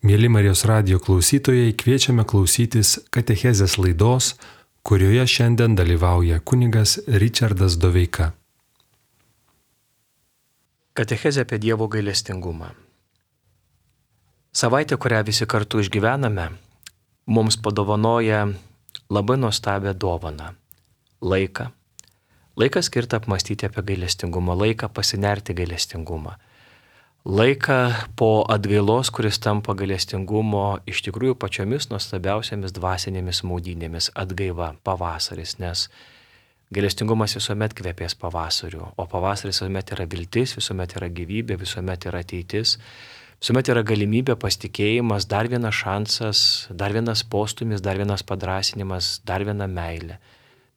Mėly Marijos radijo klausytojai, kviečiame klausytis katechezės laidos, kurioje šiandien dalyvauja kunigas Richardas Doveika. Katechezė apie Dievo gailestingumą. Savaitė, kurią visi kartu išgyvename, mums padovanoja labai nuostabią dovaną - laiką. Laiką skirtą apmąstyti apie gailestingumą, laiką pasinerti gailestingumą. Laiką po atgailos, kuris tampa gailestingumo iš tikrųjų pačiomis nuostabiausiamis dvasinėmis maudynėmis - atgaiva, pavasaris, nes gailestingumas visuomet kvepės pavasariu, o pavasaris visuomet yra viltis, visuomet yra gyvybė, visuomet yra ateitis, visuomet yra galimybė, pasitikėjimas, dar vienas šansas, dar vienas postumis, dar vienas padrasinimas, dar viena meilė.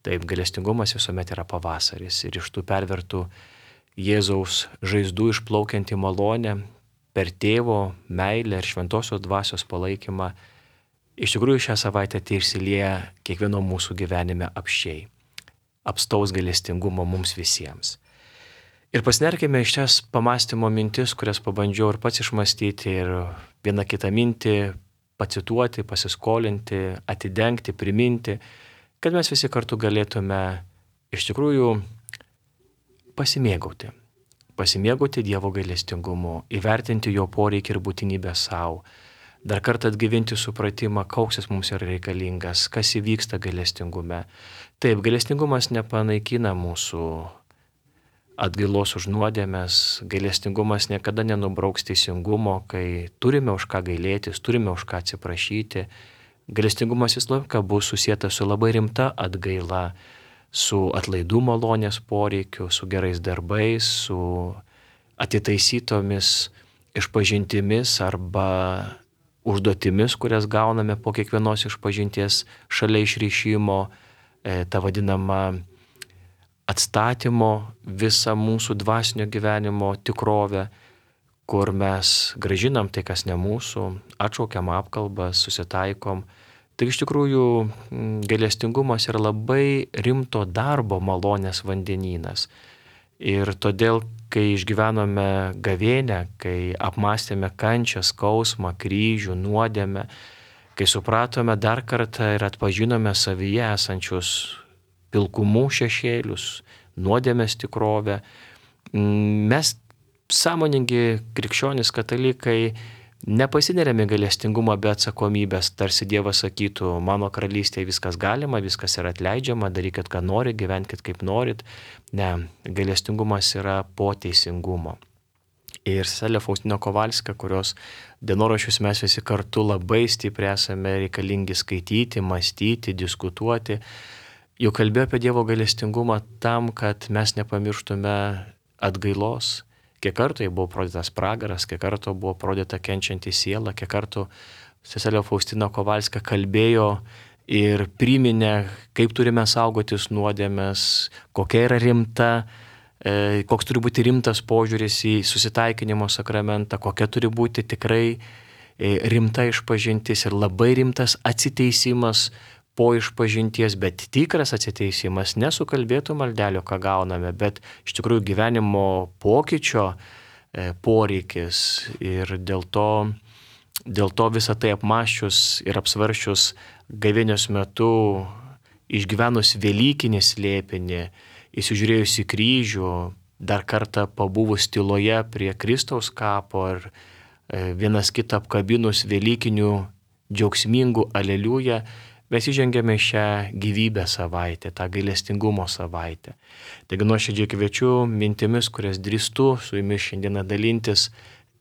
Taip, gailestingumas visuomet yra pavasaris ir iš tų pervertų Jėzaus žaizdų išplaukianti malonė per tėvo meilę ir šventosios dvasios palaikymą iš tikrųjų šią savaitę išsilieja kiekvieno mūsų gyvenime apsčiai. Apstaus gailestingumo mums visiems. Ir pasinerkime iš šias pamąstymo mintis, kurias pabandžiau ir pats išmastyti ir vieną kitą mintį pacituoti, pasiskolinti, atidengti, priminti, kad mes visi kartu galėtume iš tikrųjų pasimėgauti Dievo gailestingumu, įvertinti jo poreikį ir būtinybę savo, dar kartą atgyvinti supratimą, koks jis mums yra reikalingas, kas įvyksta gailestingume. Taip, gailestingumas nepanaikina mūsų atgailos už nuodėmes, gailestingumas niekada nenubrauks teisingumo, kai turime už ką gailėtis, turime už ką atsiprašyti. Gailestingumas visą laiką bus susietas su labai rimta atgaila, su atlaidų malonės poreikiu, su gerais darbais, su atitaisytomis išpažintimis arba užduotimis, kurias gauname po kiekvienos išpažinties šalia išrišimo, ta vadinama atstatymo visą mūsų dvasinio gyvenimo tikrovę, kur mes grąžinam tai, kas ne mūsų, atšaukiam apkalbas, susitaikom. Tai iš tikrųjų gailestingumas yra labai rimto darbo malonės vandenynas. Ir todėl, kai išgyvenome gavėnią, kai apmąstėme kančią, skausmą, kryžių, nuodėmę, kai supratome dar kartą ir atpažinome savyje esančius pilkumų šešėlius, nuodėmės tikrovę, mes sąmoningi krikščionys katalikai nepasineriame gailestingumą be atsakomybės, tarsi Dievas sakytų, mano karalystėje viskas galima, viskas yra atleidžiama, darykit, ką nori, gyvenkit kaip norit. Ne, gailestingumas yra po teisingumo. Ir seselė Faustina Kovalska, kurios dienoraščius mes visi kartu labai stipriai esame reikalingi skaityti, mąstyti, diskutuoti, jau kalbėjo apie Dievo gailestingumą tam, kad mes nepamirštume atgailos. Kiek kartų buvo parodytas pragaras, kiek kartų buvo parodyta kenčianti siela, kiek kartų seselė Faustina Kovalska kalbėjo ir priminė, kaip turime saugotis nuodėmės, kokia yra rimta, koks turi būti rimtas požiūris į susitaikinimo sakramentą, kokia turi būti tikrai rimta išpažintis ir labai rimtas atsiteisimas po išpažinties, bet tikras atsiteisimas, nesukalbėtų maldelio, ką gauname, bet iš tikrųjų gyvenimo pokyčio poreikis. Ir dėl to visą tai apmąsčius ir apsvaršius gavėnios metu, išgyvenus velykinį slėpinį, įsižiūrėjus į kryžių, dar kartą pabuvus tyloje prie Kristaus kapo ir vienas kitą apkabinus velykinių džiaugsmingų aleliuja, mes įžengėme šią gyvybę savaitę, tą gailestingumo savaitę. Taigi nuoširdžiai kviečiu mintimis, kurias drįstu su jumis šiandieną dalintis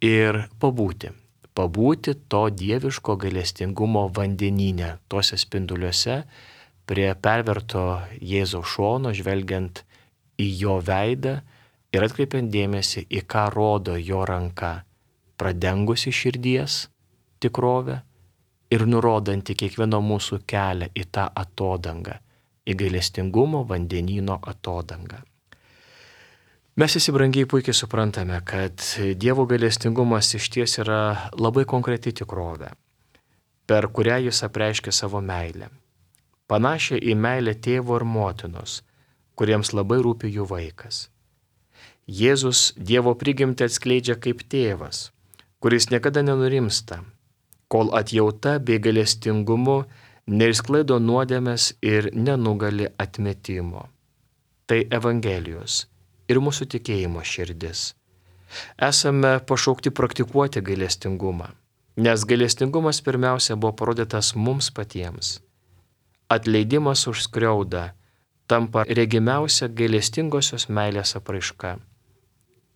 ir pabūti to dieviško gailestingumo vandenyne, tuose spinduliuose, prie perverto Jėzaus šono, žvelgiant į jo veidą ir atkreipiant dėmesį, į ką rodo jo ranka, pradengusi širdies tikrovę, ir nurodanti kiekvieno mūsų kelią į tą atodangą, į gailestingumo vandenyno atodangą. Mes visi brangiai puikiai suprantame, kad Dievo gailestingumas išties yra labai konkreti tikrovė, per kurią jis apreiškia savo meilę. Panašią į meilę tėvo ir motinos, kuriems labai rūpi jų vaikas. Jėzus Dievo prigimtį atskleidžia kaip tėvas, kuris niekada nenurimsta, kol atjauta bei gailestingumu neišsklaido nuodėmės ir nenugali atmetimo. Tai Evangelijos ir mūsų tikėjimo širdis. Esame pašaukti praktikuoti gailestingumą, nes gailestingumas pirmiausia buvo parodytas mums patiems. Atleidimas už skriaudą tampa regimiausia gailestingosios meilės apraiška.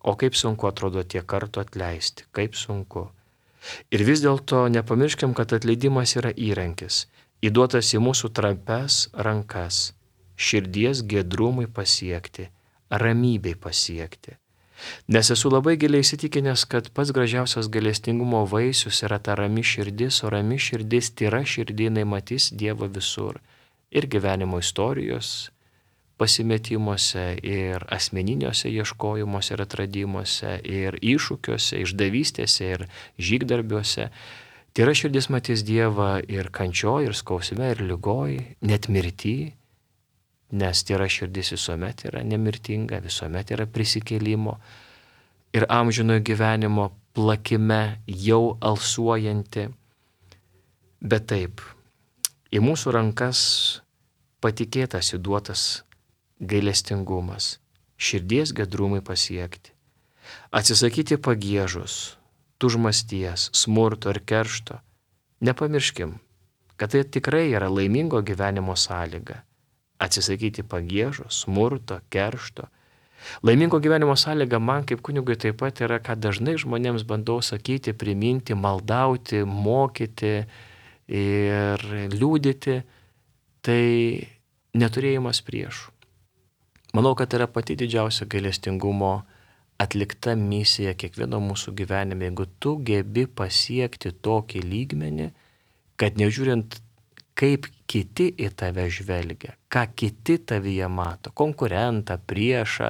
O kaip sunku atrodo tiek kartų atleisti, kaip sunku. Ir vis dėlto nepamirškim, kad atleidimas yra įrankis, įduotas į mūsų trapias rankas, širdies giedrumui pasiekti, ramybei pasiekti. Nes esu labai giliai įsitikinęs, kad pats gražiausias gailestingumo vaisius yra ta rami širdis, o rami širdis, tyra širdinai matys Dievą visur. Ir gyvenimo istorijos pasimetimuose, ir asmeniniuose ieškojimuose ir atradimuose, ir iššūkiuose, išdavystėse, ir žygdarbiuose. Tyra širdis matys Dievą ir kančioj, ir skausme, ir ligoj, net mirty, nes tyra širdis visuomet yra nemirtinga, visuomet yra prisikėlimo ir amžinojo gyvenimo plakime jau alsuojanti. Bet taip, į mūsų rankas patikėtas įduotas gailestingumas, širdies gedrumai pasiekti, atsisakyti pagiežos, tužmasties, smurto ir keršto. Nepamirškim, kad tai tikrai yra laimingo gyvenimo sąlyga. Atsisakyti pagiežos, smurto, keršto. Laimingo gyvenimo sąlyga man kaip kunigui taip pat yra, ką dažnai žmonėms bandau sakyti, priminti, maldauti, mokyti ir liūdyti, tai neturėjimas priešų. Manau, kad tai yra pati didžiausia gailestingumo atlikta misija kiekvieno mūsų gyvenime. Jeigu tu gebi pasiekti tokį lygmenį, kad nežiūrint, kaip kiti į tave žvelgia, ką kiti tavyje mato, konkurentą, priešą,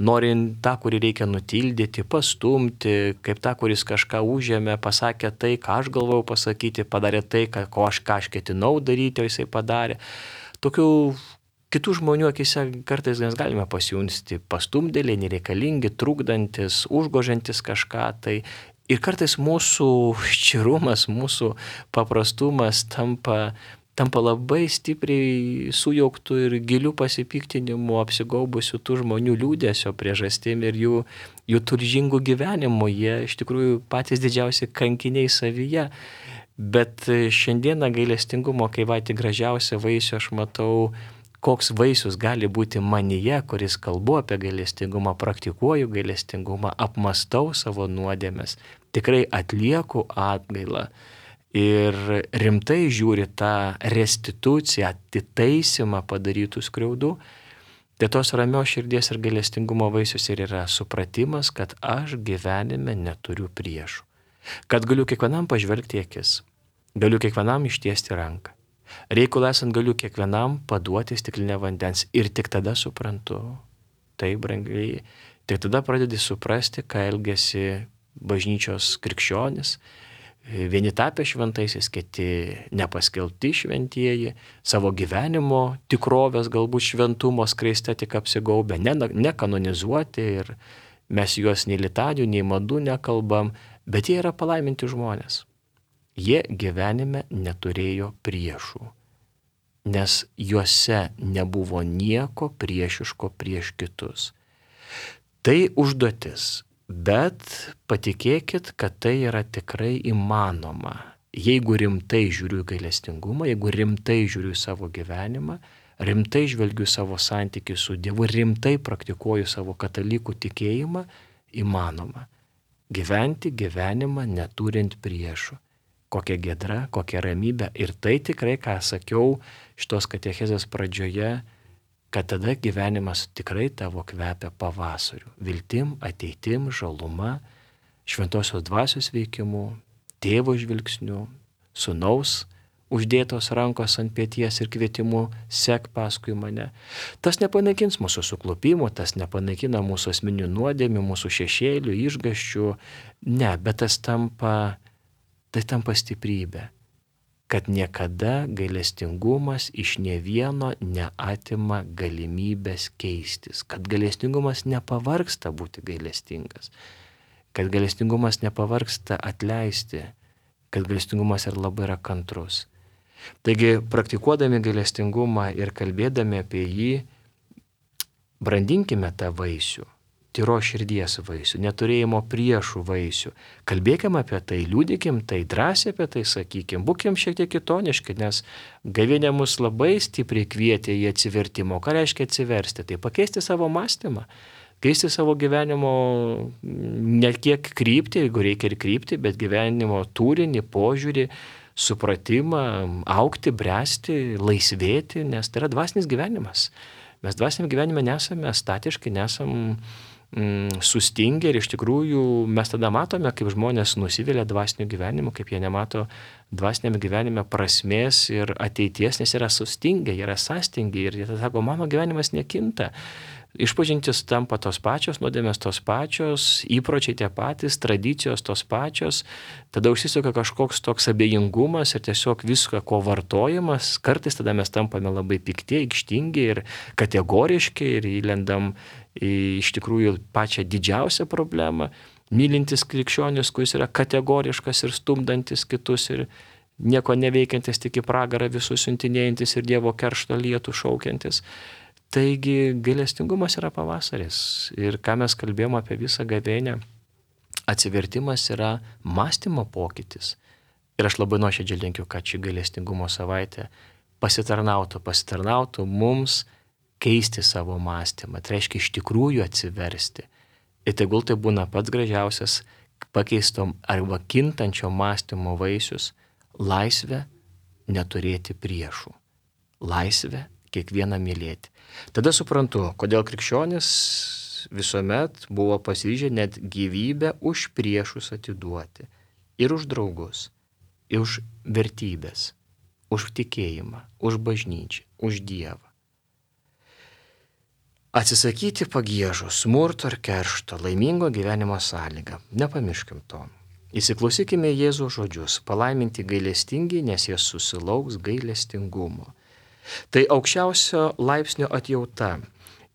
norint tą, kurį reikia nutildyti, pastumti, kaip tą, kuris kažką užėmė, pasakė tai, ką aš galvojau pasakyti, padarė tai, ką aš ketinau daryti, o jisai padarė. Tokių kitų žmonių akise kartais mes galime pasijunsti pastumdėliai, nereikalingi, trukdantis, užgožiantis kažką tai. Ir kartais mūsų ščirumas, mūsų paprastumas tampa labai stipriai sujauktų ir gilių pasipiktinimų apsigaubusių tų žmonių liūdesio priežastim ir jų turžingų gyvenimų. Jie iš tikrųjų patys didžiausi kankiniai savyje. Bet šiandieną gailestingumo, kai patį gražiausią vaisių aš matau, koks vaisius gali būti manyje, kuris kalbu apie gailestingumą, praktikuoju gailestingumą, apmastau savo nuodėmes, tikrai atlieku atgailą. Ir rimtai žiūri tą restituciją, atitaisimą padarytų skriaudų, tai tos ramios širdies ir gailestingumo vaisius ir yra supratimas, kad aš gyvenime neturiu priešų. Kad galiu kiekvienam pažvelgti akis, galiu kiekvienam ištiesti ranką. Reikalui esant galiu kiekvienam paduoti stiklinę vandens ir tik tada suprantu, tai brangiai, tik tada pradedi suprasti, ką elgiasi bažnyčios krikščionis, vieni tapę šventaisiais, kiti nepaskelbti šventieji, savo gyvenimo tikrovės galbūt šventumo skleista tik apsigaubę, nekanonizuoti ir mes juos nei litanių, nei madų nekalbam, bet jie yra palaiminti žmonės. Jie gyvenime neturėjo priešų, nes juose nebuvo nieko priešiško prieš kitus. Tai užduotis. Bet patikėkit, kad tai yra tikrai įmanoma. Jeigu rimtai žiūriu į gailestingumą, jeigu rimtai žiūriu į savo gyvenimą, rimtai žvelgiu savo santykį su Dievu, rimtai praktikuoju savo katalikų tikėjimą, įmanoma. Gyventi gyvenimą neturint priešų. Kokia giedra, kokia ramybė. Ir tai tikrai, ką sakiau šitos katechezės pradžioje, kad tada gyvenimas tikrai tavo kvepia pavasariu, viltim, ateitim, žaluma, šventosios dvasios veikimu, tėvo žvilgsniu, sūnaus uždėtos rankos ant peties ir kvietimu sek paskui mane. Tas nepanaikins mūsų suklupimo, tas nepanaikina mūsų asmeninių nuodėmių, mūsų šešėlių, išgąsčių. Ne, bet tai tampa stiprybė. Kad niekada gailestingumas iš ne vieno neatima galimybės keistis, kad gailestingumas nepavargsta būti gailestingas, kad gailestingumas nepavargsta atleisti, kad gailestingumas yra kantrus. Taigi, praktikuodami gailestingumą ir kalbėdami apie jį, brandinkime tą vaisių, tyro širdies vaisių, neturėjimo priešų vaisių. Kalbėkime apie tai, liūdikim tai, drąsiai apie tai sakykim, būkim šiek tiek kitoniški, nes gavėnia mus labai stipriai kvietė į atsivertimą. Ką reiškia atsiversti? Tai pakeisti savo mąstymą, keisti savo gyvenimo ne kiek kryptį, jeigu reikia ir kryptį, bet gyvenimo turinį, požiūrį, supratimą, augti, bręsti, laisvėti, nes tai yra dvasinis gyvenimas. Mes dvasiniam gyvenime nesame statiški, nesam sustingę ir iš tikrųjų mes tada matome, kaip žmonės nusivilia dvasiniu gyvenimu, kaip jie nemato dvasiniam gyvenime prasmės ir ateities, nes yra sustingę, yra sąstingę ir jie tada sako, mano gyvenimas nekinta. Išpažintis tampa tos pačios, nuodėmės tos pačios, įpročiai tie patys, tradicijos tos pačios, tada užsisuka kažkoks toks abejingumas ir tiesiog visko, ko vartojimas, kartais tada mes tampame labai pikti, aikštingi ir kategoriški ir įlendam į iš tikrųjų pačią didžiausią problemą, mylintis krikščionis, kuris yra kategoriškas ir stumdantis kitus ir nieko neveikiantis, tik į pragarą visus siuntinėjantis ir Dievo keršto lietų šaukiantis. Taigi gailestingumas yra pavasaris ir ką mes kalbėjome apie visą gavėnią, atsivertimas yra mąstymo pokytis. Ir aš labai nuoširdžiai linkiu, kad ši gailestingumo savaitė pasitarnautų mums keisti savo mąstymą. Tai reiškia iš tikrųjų atsiversti. Ir tegul tai būna pats gražiausias pakeistom arba kintančio mąstymo vaisius - laisvę neturėti priešų. Laisvę kiekvieną mylėti. Tada suprantu, kodėl krikščionis visuomet buvo pasiryžę net gyvybę už priešus atiduoti. Ir už draugus, ir už vertybės, už tikėjimą, už bažnyčią, už Dievą. Atsisakyti pagiežų, smurto ir keršto, laimingo gyvenimo sąlygą. Nepamirškim to. Įsiklausykime Jėzaus žodžius, palaiminti gailestingi, nes jie susilauks gailestingumo. Tai aukščiausio laipsnio atjauta,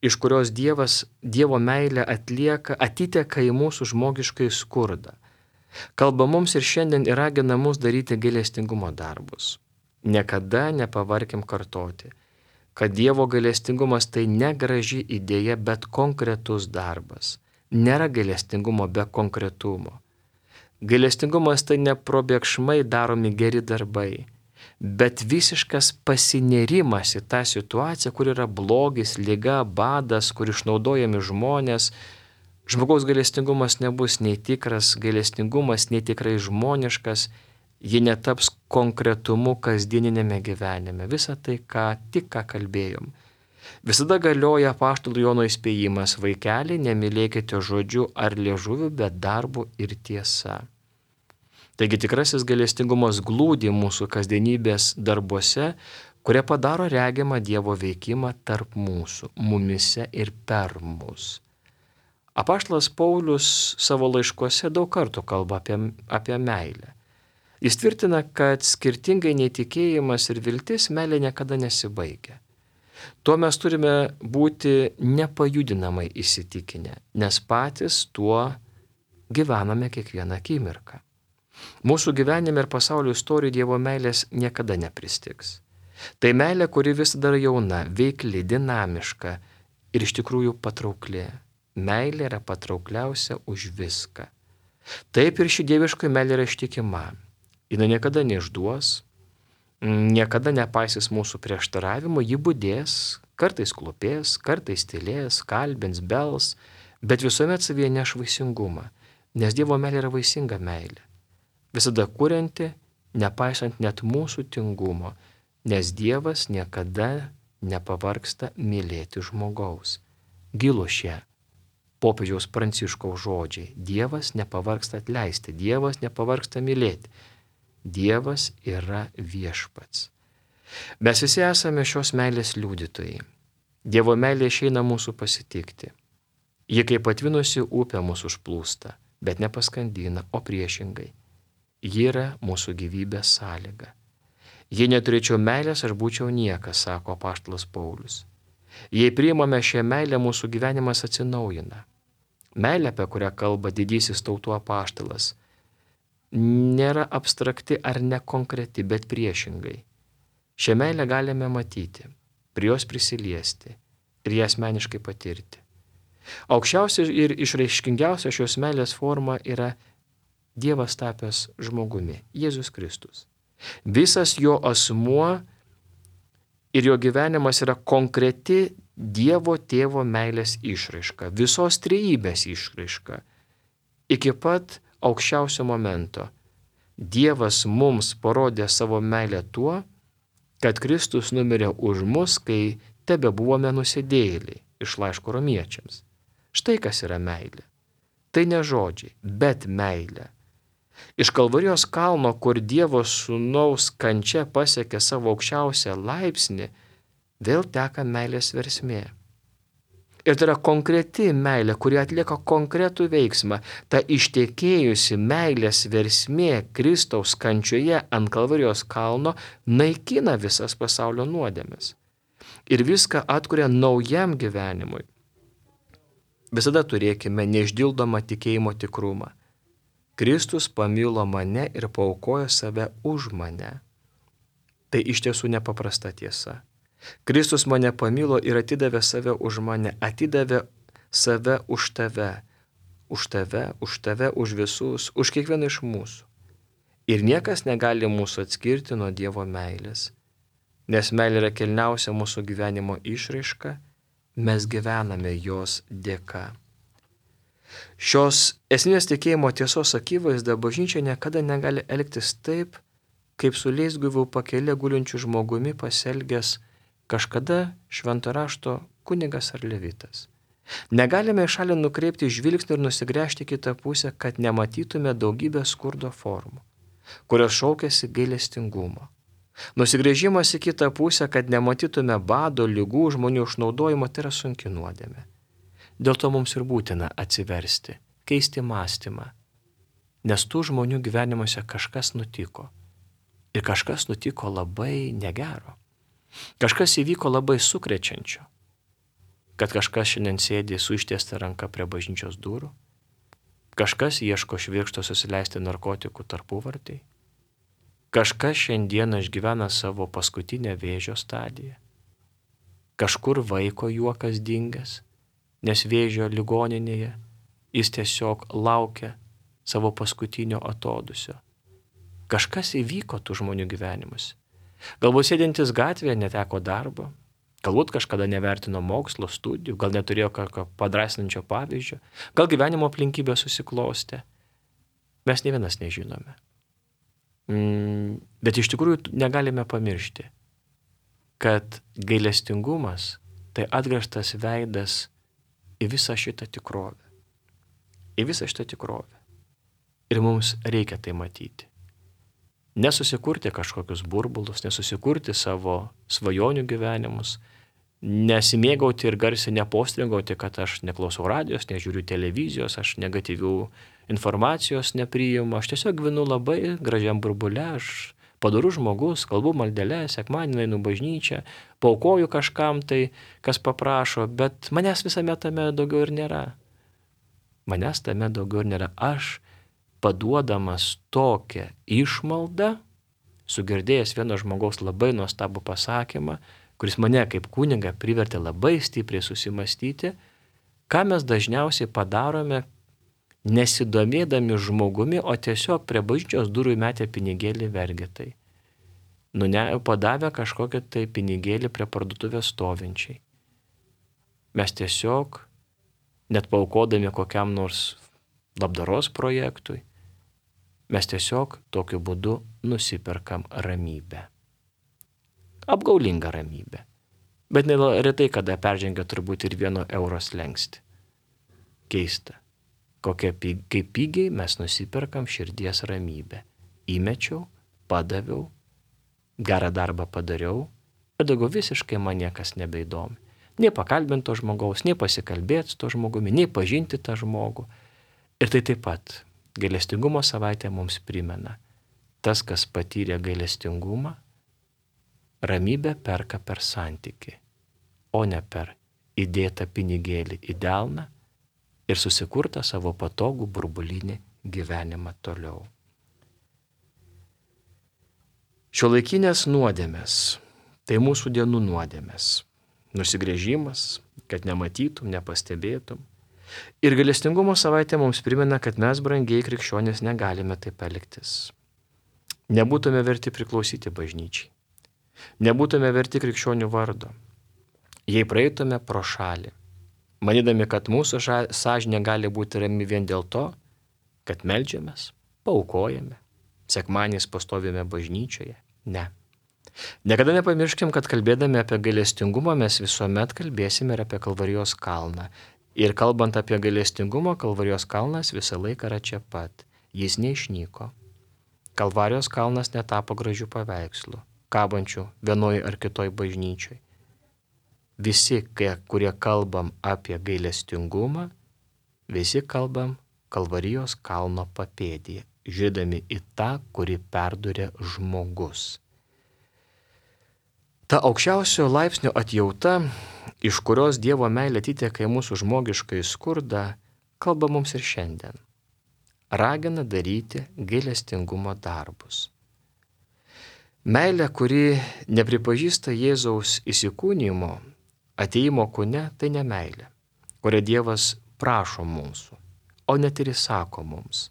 iš kurios Dievo meilė atiteka į mūsų žmogiškai skurdą. Kalba mums ir šiandien ir ragina mus daryti gailestingumo darbus. Niekada nepavarkim kartoti, kad Dievo gailestingumas tai ne graži idėja, bet konkretus darbas. Nėra gailestingumo be konkretumo. Gailestingumas tai ne probėgšmai daromi geri darbai, bet visiškas pasinerimas į tą situaciją, kur yra blogis, liga, badas, kur išnaudojami žmonės. Žmogaus gailestingumas nebus nei tikras gailestingumas, nei tikrai žmoniškas, ji netaps konkretumu kasdieninėme gyvenime. Visa tai, ką kalbėjom. Visada galioja apaštalų Jono įspėjimas: vaikeliai, nemylėkite žodžiu ar liežuviu, bet darbu ir tiesa. Taigi tikrasis gailestingumas glūdi mūsų kasdienybės darbuose, kurie padaro regimą Dievo veikimą tarp mūsų, mumise ir per mus. Apaštalas Paulius savo laiškuose daug kartų kalba apie meilę. Jis tvirtina, kad skirtingai nei tikėjimas ir viltis, meilė niekada nesibaigia. Tuo mes turime būti nepajudinamai įsitikinę, nes patys tuo gyvename kiekvieną akimirką. Mūsų gyvenime ir pasaulio istorijoje Dievo meilės niekada nepristigs. Tai meilė, kuri vis dar jauna, veikli, dinamiška ir iš tikrųjų patraukli. Meilė yra patraukliausia už viską. Taip ir ši dieviškoji meilė yra ištikima. Ji niekada neišduos, niekada nepaisys mūsų prieštaravimo, ji budės, kartais klūpės, kartais tylės, kalbins, bels, bet visuomet savyje neš vaisingumą, nes Dievo meilė yra vaisinga meilė. Visada kurianti, nepaisant net mūsų tingumo, nes Dievas niekada nepavargsta mylėti žmogaus. Gilu šie popiežiaus Pranciškaus žodžiai. Dievas nepavargsta atleisti, Dievas nepavargsta mylėti. Dievas yra viešpats. Mes visi esame šios meilės liudytojai. Dievo meilė išeina mūsų pasitikti. Ji kaip atvinusi upė mūsų užplūsta, bet nepaskandina, o priešingai. Ji yra mūsų gyvybės sąlyga. Jei neturėčiau meilės, aš būčiau niekas, sako apaštalas Paulius. Jei priimame šią meilę, mūsų gyvenimas atsinaujina. Meilė, apie kurią kalba didysis tautų apaštalas, nėra abstrakti ar nekonkreti, bet priešingai. Šią meilę galime matyti, prie jos prisiliesti ir ją asmeniškai patirti. Aukščiausia ir išraiškingiausia šios meilės forma yra Dievas tapęs žmogumi, Jėzus Kristus. Visas jo asmuo ir jo gyvenimas yra konkreti Dievo Tėvo meilės išraiška, visos trejybės išraiška. Iki pat aukščiausio momento Dievas mums parodė savo meilę tuo, kad Kristus numirė už mus, kai tebe buvome nusidėjėliai, iš laiško romiečiams. Štai kas yra meilė. Tai ne žodžiai, bet meilė. Iš Kalvarijos kalno, kur Dievo sūnaus kančia pasiekė savo aukščiausią laipsnį, vėl teka meilės versmė. Ir tai yra konkreti meilė, kuri atlieka konkretų veiksmą. Ta ištekėjusi meilės versmė Kristaus kančioje ant Kalvarijos kalno naikina visas pasaulio nuodėmes. Ir viską atkuria naujam gyvenimui. Visada turėkime neišdildomą tikėjimo tikrumą. Kristus pamilo mane ir paaukojo save už mane. Tai iš tiesų nepaprasta tiesa. Kristus mane pamilo ir atidavė save už mane, atidavė save už tave, už visus, už kiekvieną iš mūsų. Ir niekas negali mūsų atskirti nuo Dievo meilės, nes meilė yra kilniausia mūsų gyvenimo išraiška, mes gyvename jos dėka. Šios esminės tikėjimo tiesos akivaizda bažnyčia niekada negali elgtis taip, kaip su leisgyvių pakele gulinčiu žmogumi pasielgęs kažkada švento rašto kunigas ar levitas. Negalime į šalį nukreipti žvilgsnį ir nusigręžti kitą pusę, kad nematytume daugybę skurdo formų, kurios šaukiasi gailestingumo. Nusigręžimas į kitą pusę, kad nematytume bado, ligų, žmonių išnaudojimo, tai yra sunki nuodėmė. Dėl to mums ir būtina atsiversti, keisti mąstymą, nes tų žmonių gyvenimuose kažkas nutiko. Ir kažkas nutiko labai negero. Kažkas įvyko labai sukrečiančio, kad kažkas šiandien sėdi su ištiesta ranka prie bažnyčios durų, kažkas ieško švirkšto susileisti narkotikų tarpuvartei, kažkas šiandieną išgyvena savo paskutinę vėžio stadiją, kažkur vaiko juokas dingęs, nes vėžio ligoninėje jis tiesiog laukia savo paskutinio atodūsio. Kažkas įvyko tų žmonių gyvenimus. Galbūt sėdintis gatvėje neteko darbo, galbūt kažkada nevertino mokslo, studijų, gal neturėjo kokio padrasinančio pavyzdžio, gal gyvenimo aplinkybė susiklostė. Mes nė vienas nežinome. Bet iš tikrųjų negalime pamiršti, kad gailestingumas tai atgręžtas veidas į visą šitą tikrovę. Į visą šitą tikrovę. Ir mums reikia tai matyti. Nesusikurti kažkokius burbulus, nesusikurti savo svajonių gyvenimus, nesimėgauti ir garsiai nepostringauti, kad aš neklausau radijos, nežiūriu televizijos, aš negatyvių informacijos nepriimu, aš tiesiog gyvenu labai gražiam burbule, aš padorus žmogus, kalbu maldelę, sekmadienį einu bažnyčią, paaukoju kažkam tai, kas paprašo, bet manęs visame tame daugiau ir nėra. Manęs tame daugiau ir nėra. Aš paduodamas tokią išmaldą, sugirdėjęs vieno žmogaus labai nuostabų pasakymą, kuris mane kaip kunigą privertė labai stipriai susimastyti, ką mes dažniausiai padarome, nesidomėdami žmogumi, o tiesiog prie bažnyčios durų metę pinigėlį vergetai. Padavę kažkokią tai pinigėlį prie parduotuvės stovinčiai. Mes tiesiog, net paaukodami kokiam nors labdaros projektui, mes tiesiog tokiu būdu nusiperkam ramybę. Apgaulingą ramybę. Bet retai kada peržengia turbūt ir 1 euro slenkstį. Keista. Kaip pigiai mes nusiperkam širdies ramybę. Įmečiau, padaviau, gerą darbą padariau ir daugiau visiškai man niekas nebeįdomi. Nei pakalbinti to žmogaus, nei pasikalbėti su to žmogumi, nei pažinti tą žmogų. Ir tai taip pat gailestingumo savaitė mums primena. Tas, kas patyrė gailestingumą, ramybę perka per santykį, o ne per įdėtą pinigėlį į delną ir susikurtą savo patogų burbulinį gyvenimą toliau. Šiuolaikinės nuodėmės, tai mūsų dienų nuodėmės. Nusigręžimas, kad nematytum, nepastebėtum. Ir gailestingumo savaitė mums primena, kad mes, brangiai krikščionys, negalime taip elgtis. Nebūtume verti priklausyti bažnyčiai. Nebūtume verti krikščionių vardo. Jei praeitume pro šalį, manydami, kad mūsų sąžinė gali būti rami vien dėl to, kad meldžiamės, paaukojame, sekmadieniais pastovime bažnyčioje. Ne. Niekada nepamirškim, kad kalbėdami apie gailestingumą mes visuomet kalbėsime ir apie Kalvarijos kalną. Ir kalbant apie gailestingumą, Kalvarijos kalnas visą laiką yra čia pat. Jis neišnyko. Kalvarijos kalnas netapo gražių paveikslų, kabančių vienoj ar kitoj bažnyčioj. Visi, kurie kalbam apie gailestingumą, visi kalbam Kalvarijos kalno papėdėje, žiūrėdami į tą, kurį perdūrė žmogus. Ta aukščiausio laipsnio atjauta, iš kurios Dievo meilė atiteka į mūsų žmogiškai skurdą, kalba mums ir šiandien. Ragina daryti gailestingumo darbus. Meilė, kuri nepripažįsta Jėzaus įsikūnijimo, atėjimo kūne, tai ne meilė, kurią Dievas prašo mūsų, o net ir įsako mums.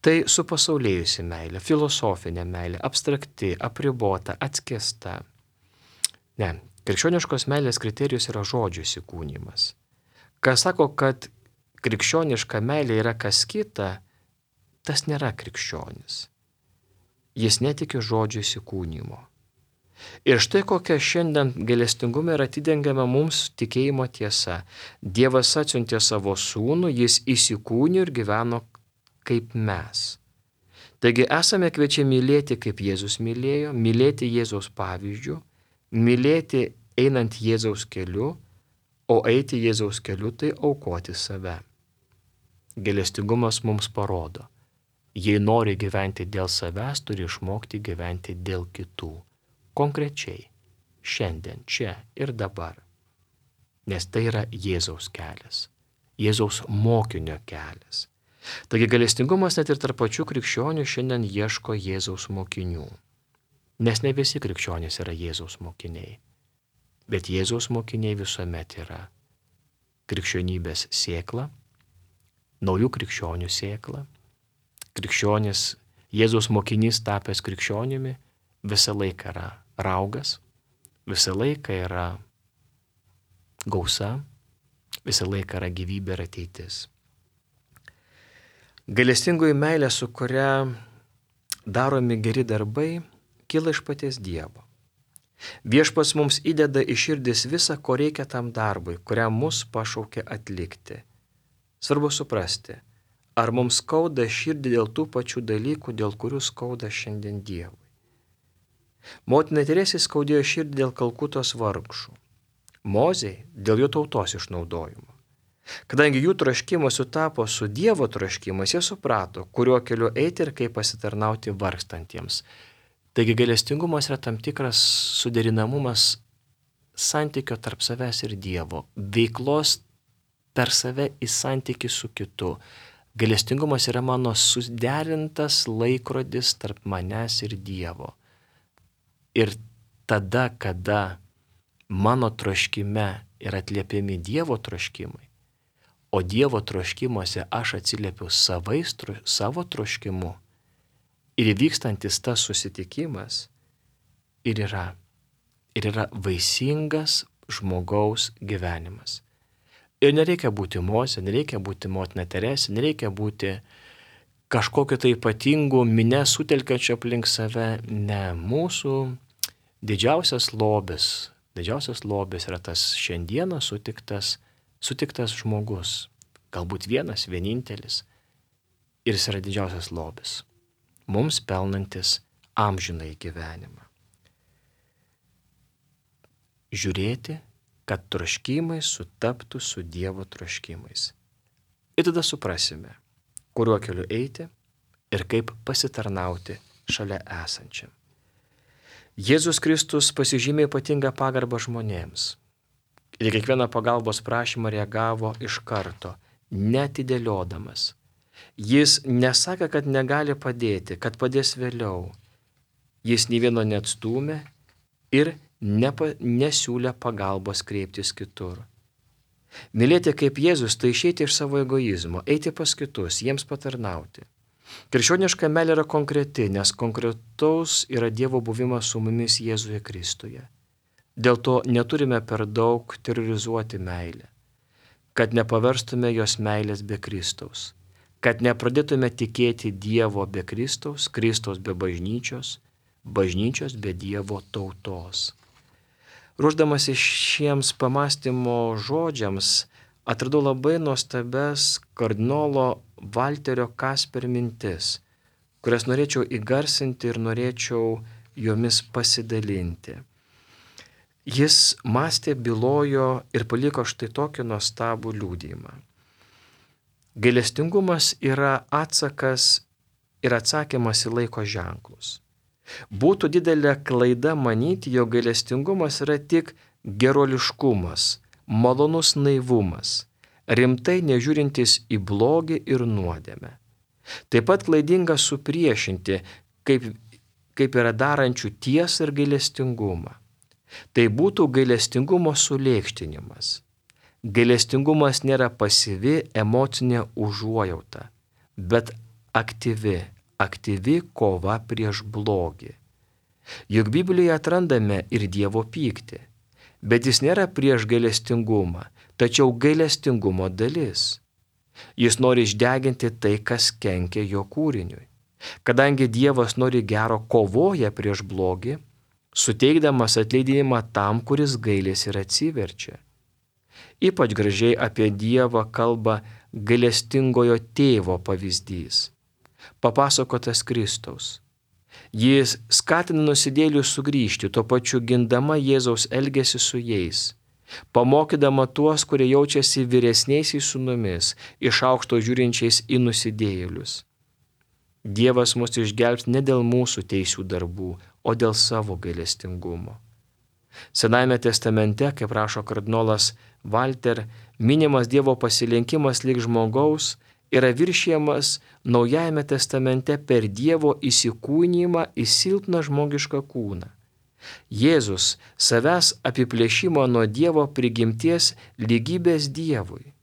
Tai supasaulėjusi meilė, filosofinė meilė, abstrakti, apribota, atskėsta. Ne, krikščioniškos meilės kriterijus yra žodžių įsikūnijimas. Kas sako, kad krikščioniška meilė yra kas kita, tas nėra krikščionis. Jis netiki žodžių įsikūnijimo. Ir štai kokia šiandien gailestingume yra atidengiama mums tikėjimo tiesa. Dievas atsiuntė savo sūnų, jis įsikūnijo ir gyveno kaip mes. Taigi esame kviečiami mylėti, kaip Jėzus mylėjo, mylėti Jėzaus pavyzdžių, mylėti einant Jėzaus keliu, o eiti Jėzaus keliu tai aukoti save. Gailestingumas mums parodo, jei nori gyventi dėl savęs, turi išmokti gyventi dėl kitų. Konkrečiai, šiandien, čia ir dabar. Nes tai yra Jėzaus kelias, Jėzaus mokinio kelias. Taigi gailestingumas net ir tarp pačių krikščionių šiandien ieško Jėzaus mokinių. Nes ne visi krikščionys yra Jėzaus mokiniai, bet Jėzaus mokiniai visuomet yra krikščionybės sėkla, naujų krikščionių sėkla. Krikščionis, Jėzaus mokinys tapęs krikščionimi, visą laiką yra raugas, visą laiką yra gausa, visą laiką yra gyvybė ir ateitis. Gailestingoji meilė, su kuria daromi geri darbai, kyla iš paties Dievo. Viešpats mums įdeda į širdis visą, ko reikia tam darbui, kuriam mus pašaukė atlikti. Svarbu suprasti, ar mums skauda širdį dėl tų pačių dalykų, dėl kurių skauda šiandien Dievui. Motina Teresė skaudėjo širdį dėl Kalkutos vargšų. Mozei dėl jo tautos išnaudojimo. Kadangi jų troškimas sutapo su Dievo troškimas, jie suprato, kuriuo keliu eiti ir kaip pasitarnauti vargstantiems. Taigi gailestingumas yra tam tikras suderinamumas santykio tarp savęs ir Dievo, veiklos per save į santykį su kitu. Gailestingumas yra mano suderintas laikrodis tarp manęs ir Dievo. Ir tada, kada mano troškime yra atliepiami Dievo troškimai, o Dievo troškimuose aš atsiliepiu savo troškimu, ir įvykstantis tas susitikimas ir yra vaisingas žmogaus gyvenimas. Ir nereikia būti Mozė, nereikia būti motina Teresė, nereikia būti kažkokio tai ypatingų minią sutelkiančio aplink save. Ne, mūsų didžiausias lobis yra tas šiandieną sutiktas žmogus. Galbūt vienas, vienintelis. Ir jis yra didžiausias lobis. Mums pelnantis amžinai gyvenimą. Žiūrėti, kad troškimai sutaptų su Dievo troškimais. Ir tada suprasime, kuriuo keliu eiti ir kaip pasitarnauti šalia esančiam. Jėzus Kristus pasižymė ypatingą pagarbą žmonėms. Ir kiekvieną pagalbos prašymą reagavo iš karto, neatidėliodamas. Jis nesakė, kad negali padėti, kad padės vėliau. Jis nei vieno neatstūmė ir nesiūlė pagalbos kreiptis kitur. Mylėti kaip Jėzus tai išeiti iš savo egoizmo, eiti pas kitus, jiems patarnauti. Krikščioniška meilė yra konkreti, nes konkretaus yra Dievo buvimas su mumis Jėzuje Kristuje. Dėl to neturime per daug terorizuoti meilę, kad nepaverstume jos meilės be Kristaus, kad nepradėtume tikėti Dievo be Kristaus, Kristaus be bažnyčios, bažnyčios be Dievo tautos. Ruošdamasi šiems pamąstymo žodžiams, atradau labai nuostabes kardinolo Valterio Kasper mintis, kurias norėčiau įgarsinti ir norėčiau jomis pasidalinti. Jis mąstė, bylojo ir paliko štai tokį nuostabų liudijimą. Gailestingumas yra atsakas ir atsakymas į laiko ženklus. Būtų didelė klaida manyti, jog gailestingumas yra tik geroliškumas, malonus naivumas, rimtai nežiūrintis į blogį ir nuodėmę. Taip pat klaidinga supriešinti, kaip yra darančių tiesą ir gailestingumą. Tai būtų gailestingumo sulėkštinimas. Gailestingumas nėra pasyvi emocinė užuojauta, bet aktyvi kova prieš blogį. Juk Biblijoje atrandame ir Dievo pyktį, bet jis nėra prieš gailestingumą, tačiau gailestingumo dalis. Jis nori išdeginti tai, kas kenkia jo kūriniui. Kadangi Dievas nori gero, kovoja prieš blogį, suteikdamas atleidimą tam, kuris gailisi ir atsiverčia. Ypač gražiai apie Dievą kalba gailestingojo tėvo pavyzdys, papasakotas Kristaus. Jis skatina nusidėjėlius sugrįžti, tuo pačiu gindama Jėzaus elgesį su jais, pamokydama tuos, kurie jaučiasi vyresniaisiais sūnumis, iš aukšto žiūrinčiais į nusidėjėlius. Dievas mus išgelbs ne dėl mūsų teisių darbų, o dėl savo gailestingumo. Senajame testamente, kaip rašo kardinolas Valter, minimas Dievo pasilenkimas lyg žmogaus yra viršijamas Naujajame testamente per Dievo įsikūnijimą į silpną žmogišką kūną. Jėzus savęs apiplėšimo nuo Dievo prigimties lygybės Dievui.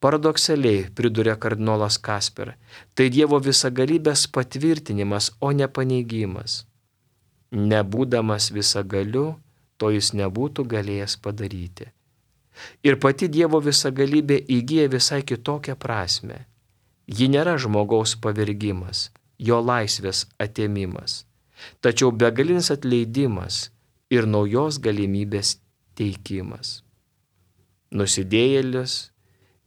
Paradoksaliai, priduria kardinolas Kasper, tai Dievo visagalybės patvirtinimas, o ne paneigimas. Nebūdamas visagaliu, to jis nebūtų galėjęs padaryti. Ir pati Dievo visagalybė įgyja visai kitokią prasme. Ji nėra žmogaus pavergimas, jo laisvės atėmimas, tačiau begalinis atleidimas ir naujos galimybės teikimas. Nusidėjėlis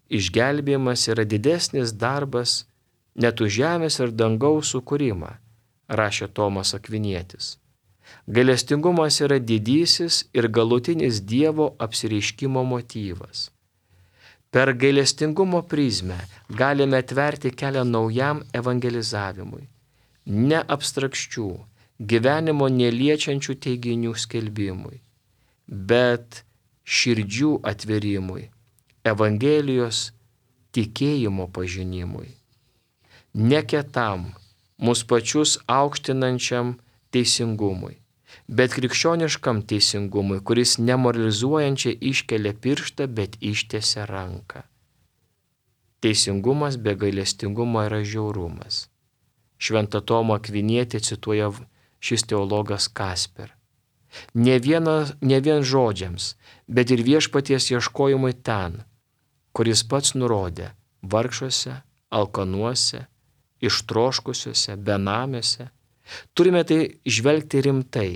išgelbėjimas yra didesnis darbas net už žemės ir dangaus sukūrimą, rašė Tomas Akvinietis. Gailestingumas yra didysis ir galutinis Dievo apsireiškimo motyvas. Per gailestingumo prizmę galime atverti kelią naujam evangelizavimui, ne abstrakčių, gyvenimo neliečiančių teiginių skelbimui, bet širdžių atverimui, Evangelijos tikėjimo pažinimui. Ne kietam, mus pačius aukštinančiam teisingumui, bet krikščioniškam teisingumui, kuris nemoralizuojančiai iškelia pirštą, bet ištiesia ranką. Teisingumas be gailestingumo yra žiaurumas. Šventą Tomą Akvinietį cituoja šis teologas Kasper. Ne vien žodžiams, bet ir viešpaties ieškojimui ten, kuris pats nurodė vargšuose, alkanuose, ištroškusiuose, benamiuose. Turime tai žvelgti rimtai,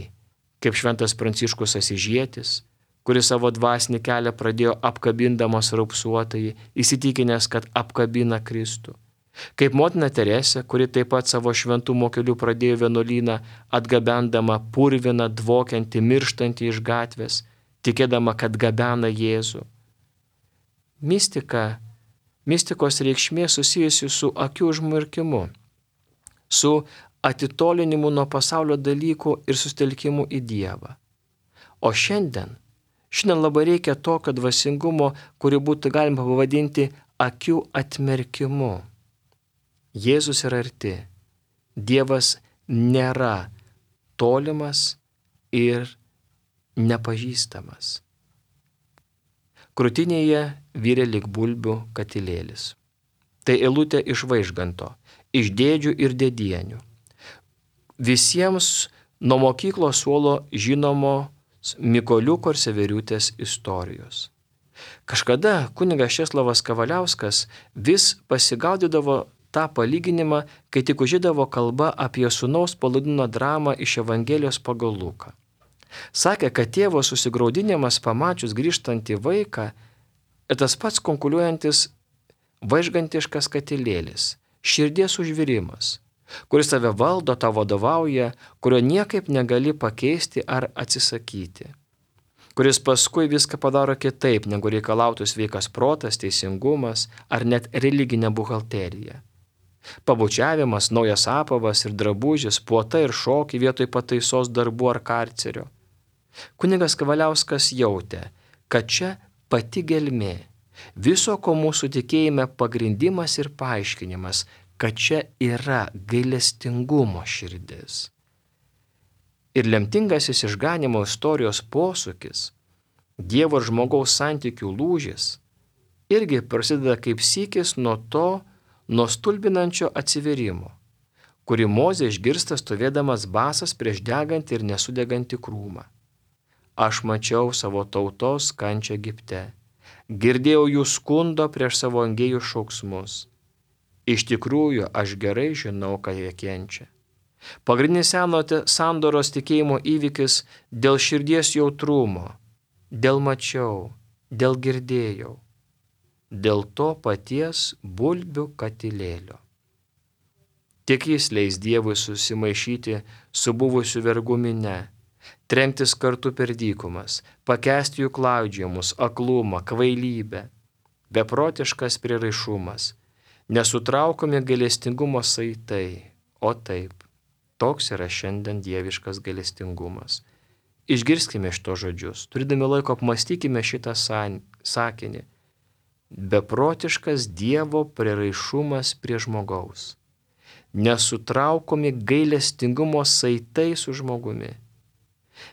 kaip šventas Pranciškus Asyžietis, kuris savo dvasinį kelią pradėjo apkabindamas raupsuotąjį, įsitikinęs, kad apkabina Kristų. Kaip motina Teresė, kuri taip pat savo šventumo keliu pradėjo vienuolyną, atgabendama purviną, dvokiantį, mirštantį iš gatvės, tikėdama, kad gabena Jėzų. Mistikos reikšmė susijusi su akių užmerkimu, su atitolinimu nuo pasaulio dalykų ir sustelkimu į Dievą. O šiandien labai reikia tokio dvasingumo, kurį būtų galima pavadinti akių atmerkimu. Jėzus yra arti. Dievas nėra tolimas ir nepažįstamas. Krūtinėje virė lyg bulbių katilėlis. Tai eilutė iš Vaižganto, iš Dėdžių ir Dėdienių. Visiems nuo mokyklos suolo žinomos Mykoliuko ir Severiutės istorijos. Kažkada kunigas Česlovas Kavaliauskas vis pasigaudydavo tą palyginimą, kai tik užėdavo kalba apie sūnaus Palaidūno dramą iš Evangelijos pagal Luką. Sakė, kad tėvo susigraudinimas pamačius grįžtantį vaiką ir tas pats konkuliuojantis vaižgantiškas katilėlis, širdies užvirimas, kuris tave valdo, tau vadovauja, kurio niekaip negali pakeisti ar atsisakyti, kuris paskui viską padaro kitaip, negu reikalautų sveikas protas, teisingumas ar net religinė buhalterija. Pabučiavimas, naujas apavas ir drabužis, puota ir šokiai vietoj pataisos darbų ar karcerio. Kunigas Kavaliauskas jautė, kad čia pati gelmė, viso ko mūsų tikėjime pagrindimas ir paaiškinimas, kad čia yra gailestingumo širdis. Ir lemtingasis išganimo istorijos posūkis, Dievo ir žmogaus santykių lūžis, irgi prasideda kaip sykis nuo stulbinančio atsiverimo, kurį Mozė išgirsta stovėdamas basas prieš degantį ir nesudegantį krūmą. Aš mačiau savo tautos kančią Egipte, girdėjau jų skundo prieš savo angėjų šauksmus. Iš tikrųjų, aš gerai žinau, ką jie kenčia. Pagrindinis senojo sandoros tikėjimo įvykis dėl širdies jautrumo, dėl mačiau, dėl girdėjau, dėl to paties bulbių katilėlio. Tik jis leis Dievui susimaišyti su buvusiu vergų mine, trenktis kartu per dykumas, pakęsti jų klaidžiojimus, aklumą, kvailybę, beprotiškas prieraišumas, nesutraukomi gailestingumo saitai, o taip, toks yra šiandien dieviškas gailestingumas. Išgirskime šito žodžius, turėdami laiko apmastykime šitą sakinį. Beprotiškas Dievo prieraišumas prie žmogaus, nesutraukomi gailestingumo saitai su žmogumi,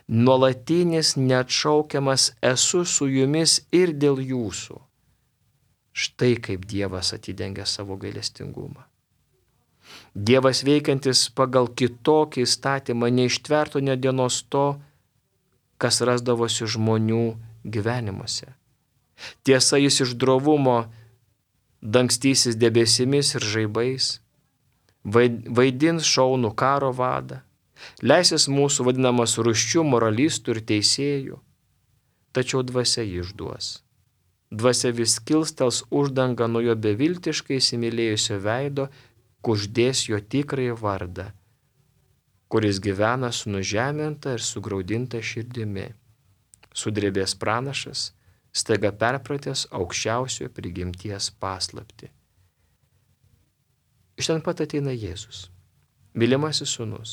nuolatinis neatšaukiamas esu su jumis ir dėl jūsų. Štai kaip Dievas atidengia savo gailestingumą. Dievas veikiantis pagal kitokį įstatymą neištvertų nė dienos to, kas rasdavosi žmonių gyvenimuose. Tiesa, jis iš drovumo dangstysis debesimis ir žaibais, vaidins šaunų karo vadą, leisis mūsų vadinamas rūsčių moralistų ir teisėjų, tačiau dvasia jį išduos. Dvasia vis kilstels uždangą nuo jo beviltiškai įsimylėjusio veido, kuždės jo tikrąjį vardą, kuris gyvena su nužeminta ir sugraudinta širdimi. Sudrebės pranašas, staiga perpratęs aukščiausiojo prigimties paslaptį. Iš ten pat ateina Jėzus, mylimasis sūnus,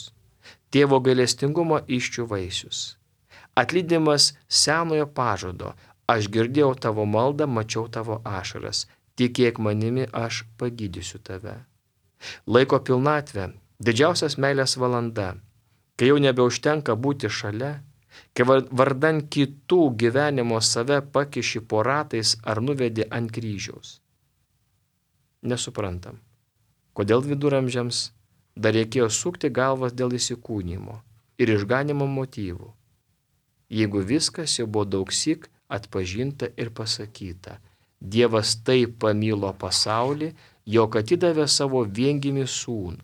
tėvo gailestingumo iščių vaisius, atlydimas senojo pažado, aš girdėjau tavo maldą, mačiau tavo ašaras, tikėk manimi, aš pagydysiu tave. Laiko pilnatvė, didžiausias meilės valanda, kai jau nebeužtenka būti šalia, kai vardan kitų gyvenimo save pakiši po ratais ar nuvedi ant kryžiaus. Nesuprantam, kodėl viduramžiams dar reikėjo sukti galvas dėl įsikūnymo ir išganimo motyvų, jeigu viskas jau buvo daugsyk atpažinta ir pasakyta. Dievas taip pamilo pasaulį, jog atidavė savo viengimį sūnų.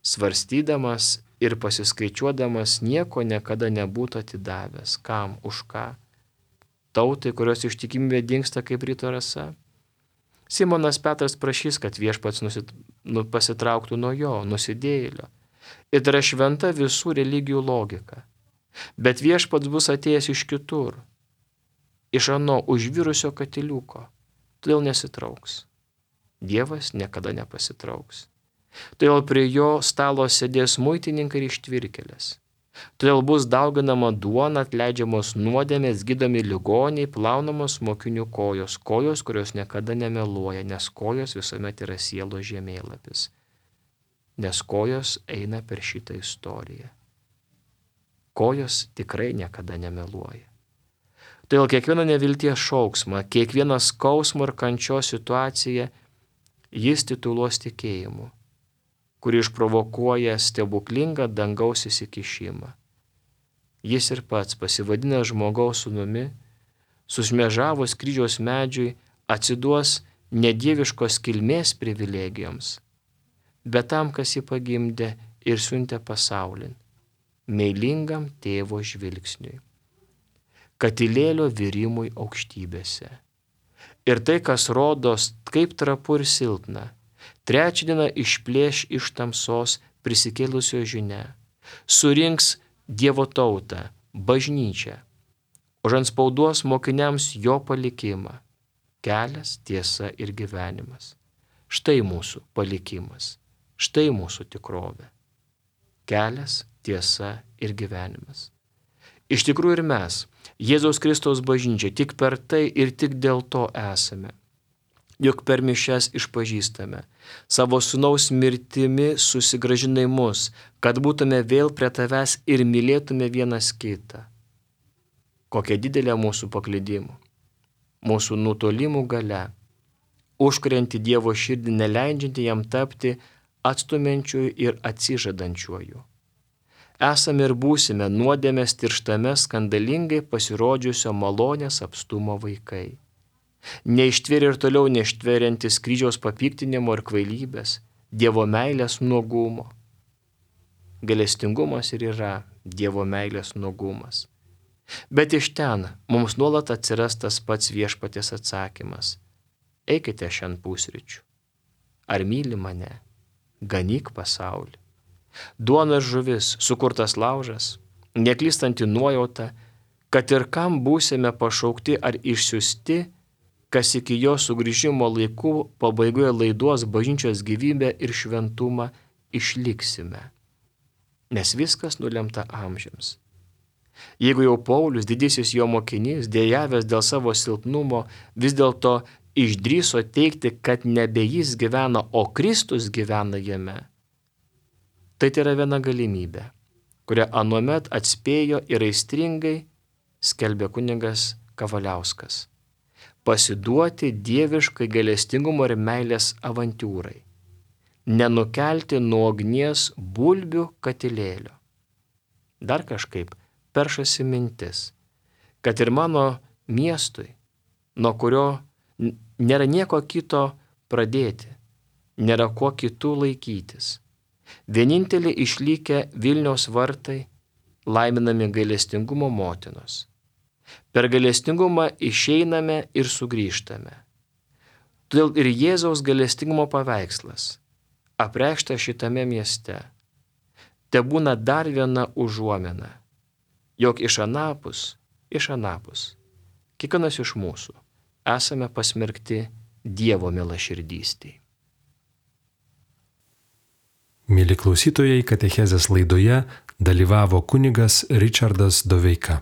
Svarstydamas ir pasiskaičiuodamas nieko niekada nebūtų atidavęs. Kam, už ką? Tautai, kurios ištikimybė dingsta kaip ryto rasa. Simonas Petras prašys, kad viešpats pasitrauktų nuo jo, nusidėjėlio. Ir tai yra šventa visų religijų logika. Bet viešpats bus atėjęs iš kitur, iš ano užvirusio katiliuko, todėl nesitrauks. Dievas niekada nepasitrauks. Todėl prie jo stalo sėdės muitininkai ir ištvirkėlės. Todėl bus dauginama duona, atleidžiamos nuodėmės, gydomi ligoniai, plaunamos mokinių kojos, kurios niekada nemeluoja, nes kojos visuomet yra sielos žemėlapis. nes kojos eina per šitą istoriją. Kojos tikrai niekada nemeluoja. Todėl kiekvieną nevilties šauksmą, kiekvieną skausmo ir kančios situaciją jis tituluos tikėjimu, kuri išprovokuoja stebuklingą dangaus įsikišimą. Jis ir pats, pasivadinęs žmogaus sūnumi, sušmėžavus kryžiaus medžiui, atsiduos nedieviškos kilmės privilegijoms, bet tam, kas jį pagimdė ir siuntė pasaulin, meilingam tėvo žvilgsniui, katilėlio virimui aukštybėse. Ir tai, kas rodos kaip trapu ir silpna, trečią dieną išplėš iš tamsos prisikėlusio žinia, surinks Dievo tautą, bažnyčią, užantspauduos mokiniams jo palikimą, kelias, tiesa ir gyvenimas. Štai mūsų palikimas, štai mūsų tikrovė. Kelias, tiesa ir gyvenimas. Iš tikrųjų ir mes, Jėzaus Kristaus bažnyčia, tik per tai ir tik dėl to esame. Juk per mišias išpažįstame, savo sūnaus mirtimi susigrąžinai mus, kad būtume vėl prie tavęs ir mylėtume vienas kitą. Kokia didelė mūsų paklydimų, mūsų nutolimų galia, užkurianti Dievo širdį, neleidžianti jam tapti atstumiančiuoju ir atsižadančiuoju. Esame ir būsime nuodėmės tirštame skandalingai pasirodžiusio malonės apstumo vaikai. Neištvėrė ir toliau neištveriantis kryžiaus papiktinimo ir kvailybės, Dievo meilės nuogumo. Gailestingumas ir yra Dievo meilės nuogumas. Bet iš ten mums nuolat atsiras tas pats viešpaties atsakymas. Eikite šiandien pusryčių. Ar myli mane? Ganyk pasaulį. Duona ir žuvis, sukurtas laužas, neklystanti nuojauta, kad ir kam būsime pašaukti ar išsiųsti, kas iki jo sugrįžimo laikų pabaigoje laiduos bažnyčios gyvybę ir šventumą, išliksime. Nes viskas nulemta amžiams. Jeigu jau Paulius, didysis jo mokinys, dejavęs dėl savo silpnumo, vis dėlto išdrįso teigti, kad nebe jis gyvena, o Kristus gyvena jame, tai yra viena galimybė, kurią anuomet atspėjo ir aistringai skelbė kunigas Kavaliauskas. Pasiduoti dieviškai gailestingumo ir meilės avantiūrai, nenukelti nuo ugnies bulbių katilėlio. Dar kažkaip peršasi mintis, kad ir mano miestui, nuo kurio nėra nieko kito pradėti, nėra kuo kitų laikytis, vienintelį išlikę Vilniaus vartai laiminami gailestingumo motinos. Per gailestingumą išeiname ir sugrįžtame. Todėl ir Jėzaus gailestingumo paveikslas, apreikštas šitame mieste, tebūna dar viena užuomina, jog iš anapus, kiekvienas iš mūsų esame pasmerkti Dievo mielaširdystei. Mieli klausytojai, katechezės laidoje dalyvavo kunigas Ričardas Doveika.